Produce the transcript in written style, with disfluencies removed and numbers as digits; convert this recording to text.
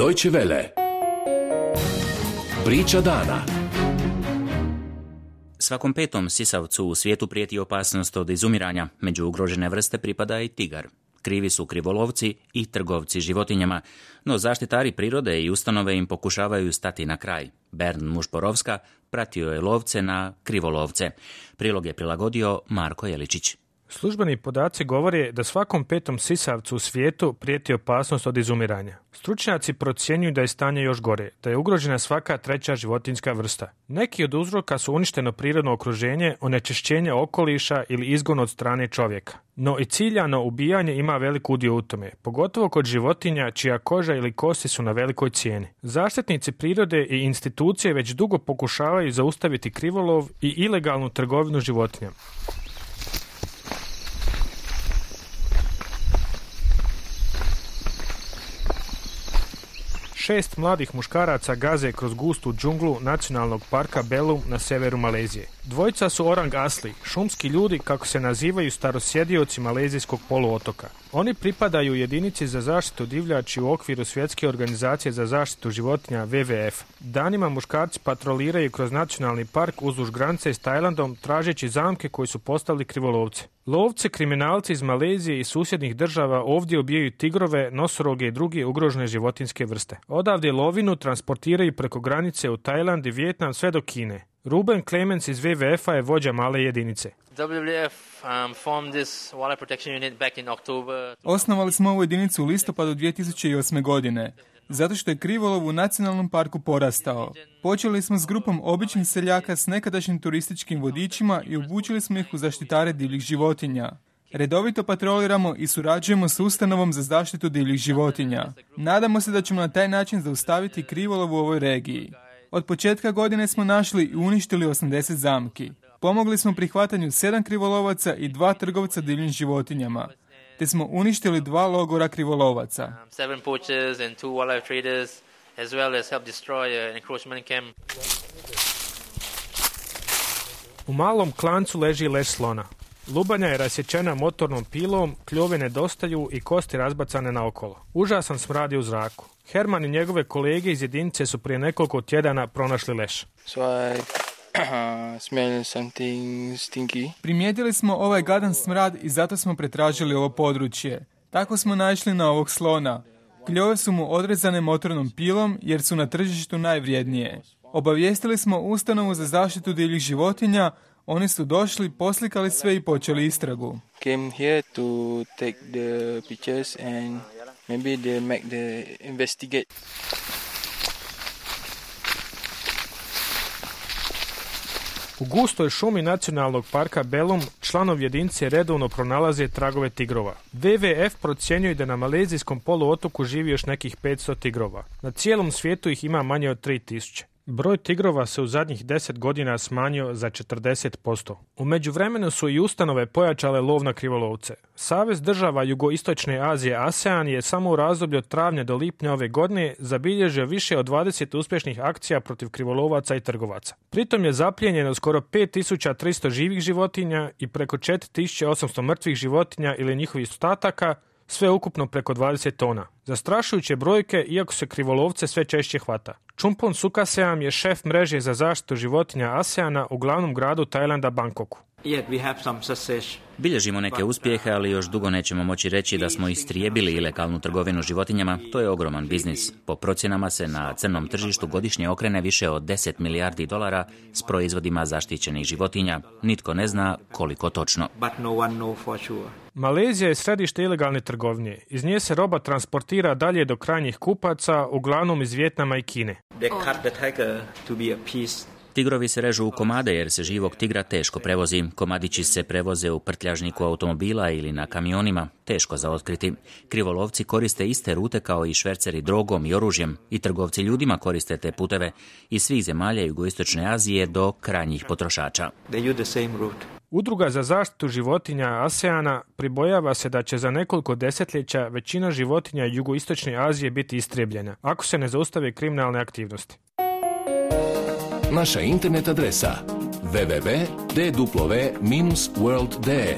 Deutsche Welle. Priča dana. Svakom petom sisavcu u svijetu prijeti opasnost od izumiranja. Među ugrožene vrste pripada i tigar. Krivi su krivolovci i trgovci životinjama, no zaštitari prirode i ustanove im pokušavaju stati na kraj. Bernd Mušporovska pratio je lovce na krivolovce. Prilog je prilagodio Marko Jeličić. Službeni podaci govore da svakom petom sisavcu u svijetu prijeti opasnost od izumiranja. Stručnjaci procjenjuju da je stanje još gore, da je ugrožena svaka treća životinjska vrsta. Neki od uzroka su uništeno prirodno okruženje, onečišćenje okoliša ili izgon od strane čovjeka. No i ciljano ubijanje ima velik udio u tome, pogotovo kod životinja čija koža ili kosti su na velikoj cijeni. Zaštitnici prirode i institucije već dugo pokušavaju zaustaviti krivolov i ilegalnu trgovinu životinjama. 6 mladih muškaraca gaze kroz gustu džunglu nacionalnog parka Belum na severu Malezije. Dvojica su orang asli, šumski ljudi kako se nazivaju starosjedioci malezijskog poluotoka. Oni pripadaju jedinici za zaštitu divljači u okviru Svjetske organizacije za zaštitu životinja WWF. Danima muškarci patroliraju kroz nacionalni park uzduž granice s Tajlandom tražeći zamke koji su postavili krivolovce. Lovci, kriminalci iz Malezije i susjednih država ovdje ubijaju tigrove, nosoroge i druge ugrožene životinjske vrste. Odavde lovinu transportiraju preko granice u Tajland i Vijetnam sve do Kine. Ruben Clemens iz WWF-a je vođa male jedinice. Osnovali smo ovu jedinicu u listopadu 2008. godine, zato što je krivolov u nacionalnom parku porastao. Počeli smo s grupom običnih seljaka s nekadašnjim turističkim vodičima i obučili smo ih u zaštitare divljih životinja. Redovito patroliramo i surađujemo s ustanovom za zaštitu divljih životinja. Nadamo se da ćemo na taj način zaustaviti krivolov u ovoj regiji. Od početka godine smo našli i uništili 80 zamki. Pomogli smo prihvatanju 7 krivolovaca i 2 trgovca divljim životinjama, te smo uništili 2 logora krivolovaca. U malom klancu leži leš slona. Lubanja je rasječena motornom pilom, kljove nedostaju i kosti razbacane naokolo. Užasan smrad je u zraku. Herman i njegove kolege iz jedinice su prije nekoliko tjedana pronašli leš. Primijetili smo ovaj gadan smrad i zato smo pretražili ovo područje. Tako smo naišli na ovog slona. Kljove su mu odrezane motornom pilom jer su na tržištu najvrijednije. Obavijestili smo ustanovu za zaštitu divljih životinja. Oni su došli, poslikali sve i počeli istragu. Came here to take the pictures and maybe they make the investigate. U gustoj šumi nacionalnog parka Belum članovi jedinice redovno pronalaze tragove tigrova. WWF procjenjuje da na malezijskom poluotoku živi još nekih 500 tigrova. Na cijelom svijetu ih ima manje od 3000. Broj tigrova se u zadnjih 10 godina smanjio za 40%. U međuvremenu su i ustanove pojačale lov na krivolovce. Savez država Jugoistočne Azije ASEAN je samo u razdoblju od travnja do lipnja ove godine zabilježio više od 20 uspješnih akcija protiv krivolovaca i trgovaca. Pritom je zaplijenjeno skoro 5300 živih životinja i preko 4800 mrtvih životinja ili njihovih ostataka, sve ukupno preko 20 tona. Zastrašujuće brojke, iako se krivolovce sve češće hvata. Chumpon Sukaseam je šef mreže za zaštitu životinja ASEANA u glavnom gradu Tajlanda, Bangkoku. Bilježimo neke uspjehe, ali još dugo nećemo moći reći da smo istrijebili ilegalnu trgovinu životinjama. To je ogroman biznis. Po procjenama se na crnom tržištu godišnje okrene više od 10 milijardi dolara s proizvodima zaštićenih životinja. Nitko ne zna koliko točno. Malezija je središte ilegalne trgovine. Iz nje se roba transportira dalje do krajnjih kupaca, uglavnom iz Vijetnama i Kine. Tigrovi se režu u komade jer se živog tigra teško prevozi. Komadići se prevoze u prtljažniku automobila ili na kamionima, teško za otkriti. Krivolovci koriste iste rute kao i šverceri drogom i oružjem i trgovci ljudima koriste te puteve iz svih zemalja Jugoistočne Azije do krajnjih potrošača. Udruga za zaštitu životinja ASEANA pribojava se da će za nekoliko desetljeća većina životinja Jugoistočne Azije biti istrijebljena, ako se ne zaustave kriminalne aktivnosti. Naša internet adresa www.dw-world.de